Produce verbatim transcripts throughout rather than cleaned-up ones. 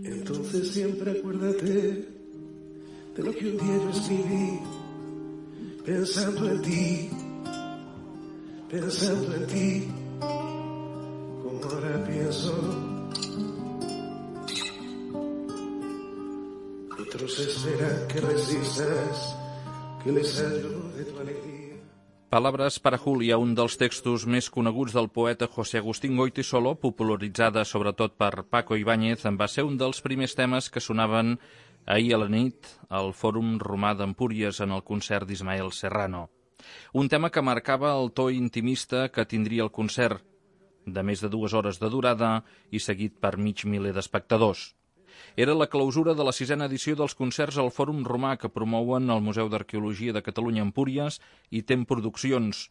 Entonces siempre acuérdate de lo que un día yo escribí, pensando en ti, pensando en ti, como ahora pienso. Otros esperan que resistas, que les ayude tu alegría. Palabras para Julia, un dels textos més coneguts del poeta José Agustín Goytisolo, popularitzada sobretot per Paco Ibáñez, va ser un dels primers temes que sonaven ahir a la nit al Fòrum Romà d'Empúries en el concert d'Ismael Serrano. Un tema que marcava el to intimista que tindria el concert, de més de dues hores de durada i seguit per mig miler d'espectadors. Era la clausura de la sisena edició dels concerts al Fòrum Romà que promouen el Museu d'Arqueologia de Catalunya Empúries i Tem Produccions,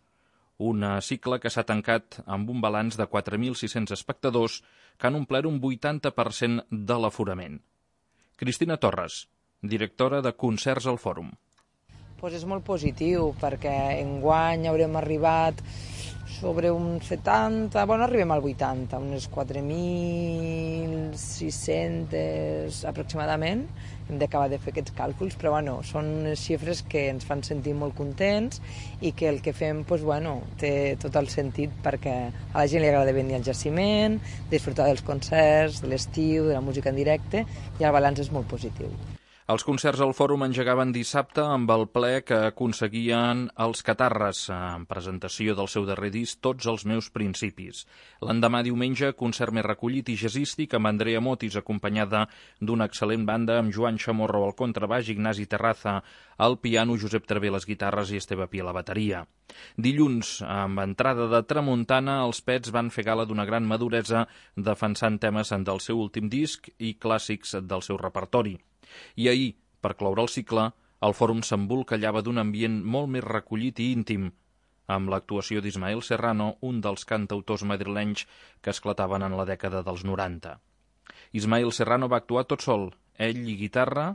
un cicle que s'ha tancat amb un balanç de quatre mil sis-cents espectadors que han omplert un vuitanta per cent de l'aforament. Cristina Torres, directora de Concerts al Fòrum. Pues és molt positiu perquè enguany haurem arribat sobre un setanta, bueno, arribem al vuitanta, unes quatre mil sis-cents aproximadament. Hem d'acabar de fer aquests càlculs, però bueno, són unes xifres que ens fan sentir molt contents i que el que fem pues, bueno, té tot el sentit perquè a la gent li agrada venir al jaciment, disfrutar dels concerts, de l'estiu, de la música en directe, i el balanç és molt positiu. Els concerts al Fòrum engegaven dissabte amb el ple que aconseguien els Catarres, en presentació del seu darrer disc Tots els meus principis. L'endemà diumenge, concert més recollit i jazzístic amb Andrea Motis, acompanyada d'una excel·lent banda amb Joan Chamorro al contrabaix, Ignasi Terraza al piano, Josep Travé a les guitarres i Esteve Pi a la bateria. Dilluns, amb entrada de tramuntana, els Pets van fer gala d'una gran maduresa defensant temes del seu últim disc i clàssics del seu repertori. I ahir, per cloure el cicle, el Fòrum s'embolcallava d'un ambient molt més recollit i íntim, amb l'actuació d'Ismael Serrano, un dels cantautors madrilenys que esclataven en la dècada dels noranta. Ismael Serrano va actuar tot sol, ell i guitarra,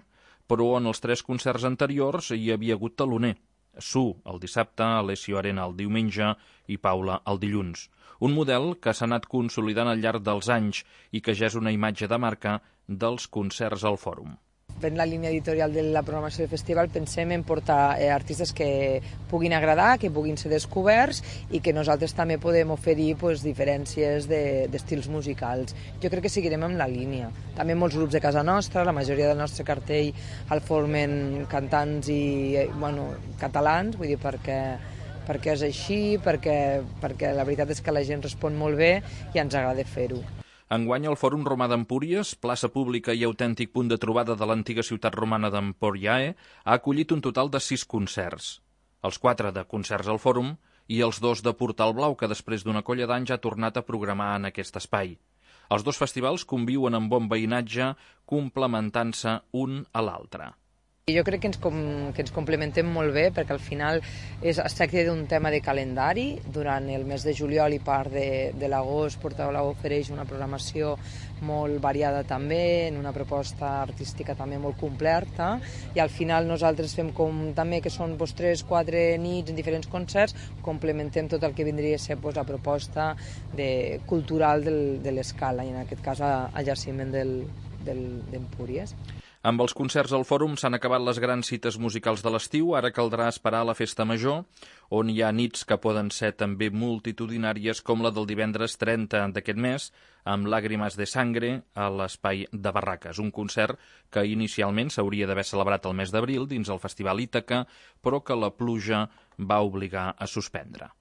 però en els tres concerts anteriors hi havia hagut taloner. Su el dissabte, Alessio Arena el diumenge i Paula el dilluns. Un model que s'ha anat consolidant al llarg dels anys i que ja és una imatge de marca dels concerts al Fòrum. En la línia editorial de la programació del festival pensem en portar eh, artistes que puguin agradar, que puguin ser descoberts i que nosaltres també podem oferir pues, diferències d'estils de, musicals. Jo crec que seguirem amb la línia. També molts grups de casa nostra, la majoria del nostre cartell el formen cantants i bueno, catalans, vull dir, perquè, perquè és així, perquè, perquè la veritat és que la gent respon molt bé i ens agrada fer-ho. Enguany, el Fòrum Romà d'Empúries, plaça pública i autèntic punt de trobada de l'antiga ciutat romana d'Emporiae, ha acollit un total de sis concerts. Els quatre de Concerts al Fòrum i els dos de Portal Blau, que després d'una colla d'anys ha tornat a programar en aquest espai. Els dos festivals conviuen amb bon veïnatge, complementant-se un a l'altre. Jo crec que ens, com, que ens complementem molt bé perquè al final és, es tracta d'un tema de calendari. Durant el mes de juliol i part de, de l'agost Portal Blau ofereix una programació molt variada també, en una proposta artística també molt completa i al final nosaltres fem com també que són pues, tres, quatre nits en diferents concerts, complementem tot el que vindria a ser pues, la proposta de, cultural del, de l'Escala i en aquest cas al jaciment d'Empúries. Amb els concerts al Fòrum s'han acabat les grans cites musicals de l'estiu, ara caldrà esperar la festa major, on hi ha nits que poden ser també multitudinàries com la del divendres trenta d'aquest mes, amb Làgrimes de Sangre a l'Espai de Barraques, un concert que inicialment s'hauria d'haver celebrat el mes d'abril dins el Festival Ítaca, però que la pluja va obligar a suspendre.